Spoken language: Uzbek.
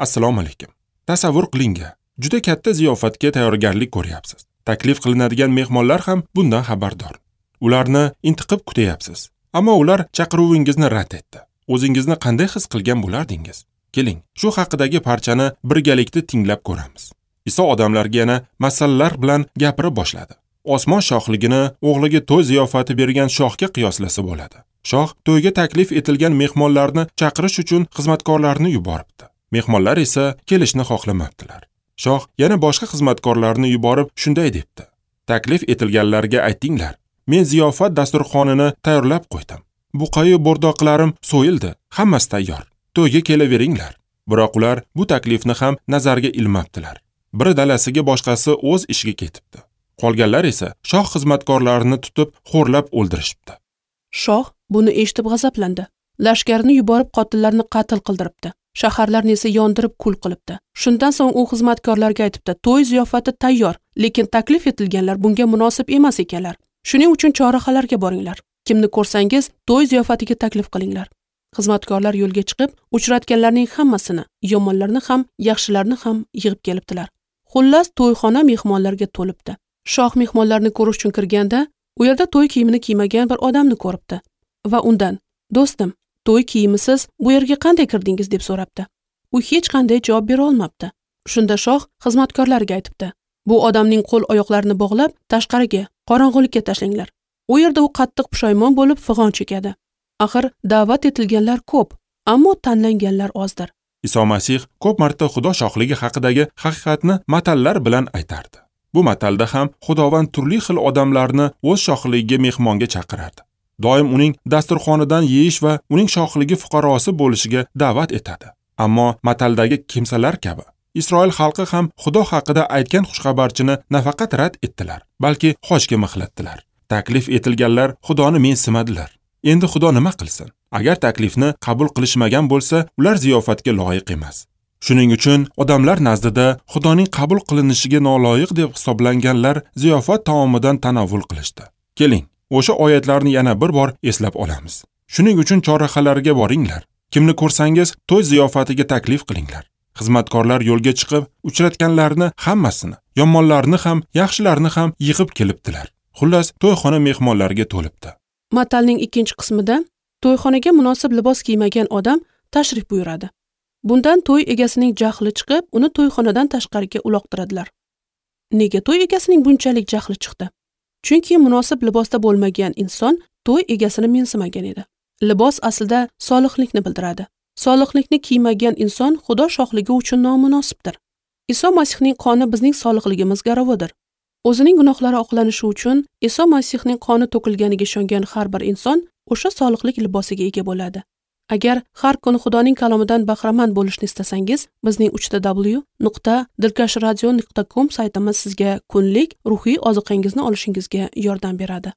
Assalomu alaykum. Tasavvur qiling, juda katta ziyofatga tayyorgarlik ko'ryapsiz. Taklif qilinadigan mehmonlar ham bundan xabardor. Ularni intiqib kutyapsiz. Ammo ular chaqiruvingizni rad etdi. O'zingizni qanday his qilgan bo'lardingiz? Keling, shu haqidagi parchani birgalikda tinglab ko'ramiz. Iso odamlarga yana masallar bilan gapira boshladi. Osmon shohligini o'g'liga to'y ziyofati bergan shohga qiyoslasa bo'ladi. Shoh to'yga taklif etilgan mehmonlarni chaqirish uchun xizmatkorlarni yuboribdi. Mehmonlar esa kelishni xohlamabdilar. Shoh yana boshqa xizmatkorlarni yuborib shunday debdi: Taklif etilganlarga aytinglar, men ziyofat dasturxonini tayyorlab qo'ydim. Buqayu bo'rdoqlarim so'yildi, hammasi tayyor. To'yga kelaveringlar. Biroq ular bu taklifni ham nazarga ilmabdilar. Biri dalasiga, boshqasi o'z ishiga ketibdi. Qolganlar esa shoh xizmatkorlarini tutib, xo'rlab o'ldirishibdi. Shoh buni eshitib g'azablandi. Lashkarini yuborib qotillarni qatl qildiribdi. Shaharlarni esa yondirib kul qilibdi. Shundan so'ng u xizmatkorlarga aytibdi: "To'y ziyofati tayyor, lekin taklif etilganlar bunga munosib emas ekanlar. Shuning uchun chorrahalarga boringlar. Kimni ko'rsangiz, to'y ziyofatiga taklif qilinglar." Xizmatkorlar yo'lga chiqib, uchratganlarning hammasini, yomonlarni ham, yaxshilarni ham yig'ib kelibdilar. Xullas, to'yxona mehmonlarga to'libdi. Shoh mehmonlarni ko'rish uchun kirganda, u yerda to'y kiyimini kiymagan bir odamni ko'ribdi va undan: "Do'stim, to'y kiyimisiz bu yerga qanday kirdingiz?" deb so'rabdi. U hech qanday javob bera olmabdi. Shunda shoh xizmatkorlarga aytibdi: "Bu odamning qo'l oyoqlarini bog'lab, tashqariga, qorong'ulikka tashlanglar. U yerda u qattiq pushaymon bo'lib fig'on chekadi. Axir da'vat etilganlar ko'p, ammo tanlanganlar ozdir." Iso Masih ko'p marta Xudo shohligi haqidagi haqiqatni matallar bilan aytardi. Bu matalda ham Xudovand turli xil odamlarni o'z shohligiga mehmonga chaqirardi. Doim uning dasturxonidan yeyish va uning shohligi fuqarosi bo'lishiga da'vat etadi. Ammo mataldagi kimsalar kabi Isroil xalqi ham Xudo haqida aytgan xushxabarchini nafaqat rad etdilar, balki xochga mixlatdilar. Taklif etilganlar Xudoni mensimadilar. Endi Xudo nima qilsin? Agar taklifni qabul qilishmagan bo'lsa, ular ziyofatga loyiq emas. Shuning uchun odamlar nazdida Xudoning qabul qilinishiga noloyiq deb hisoblanganlar ziyofat taomidan tanovul qilishdi. Keling, o'sha oyatlarni yana bir bor eslab olamiz. Shuning uchun chorrahalarga boringlar. Kimni ko'rsangiz, to'y ziyofatiga taklif qilinglar. Xizmatkorlar yo'lga chiqib, uchratganlarni hammasini, yomonlarni ham, yaxshilarni ham yig'ib kelibdilar. Xullas, to'yxona mehmonlarga to'libdi. Matalning ikkinchi qismida to'yxonaga munosib libos kiymagan odam tashrif buyuradi. Bundan to'y egasining jahli chiqib, uni to'yxonadan tashqariga uloqtiradilar. Nega to'y egasining bunchalik jahli chiqdi? Chunki munosib libosda bo'lmagan inson to'y egasini mensimagan edi. Libos aslida solihlikni bildiradi. Solihlikni kiymagan inson Xudo shohligi uchun nomunosibdir. Iso Masihning qoni bizning solihligimiz garovidir. O'zining gunohlari oqlanishi uchun Iso Masihning qoni to'kilganiga ishongan har bir inson o'sha solihlik libosiga ega bo'ladi. Agar har kuni Xudoning kalomidan bahramand bo'lishni istasangiz, bizning www.dilkashradio.com saytimiz sizga kunlik ruhiy ozuqangizni olishingizga yordam beradi.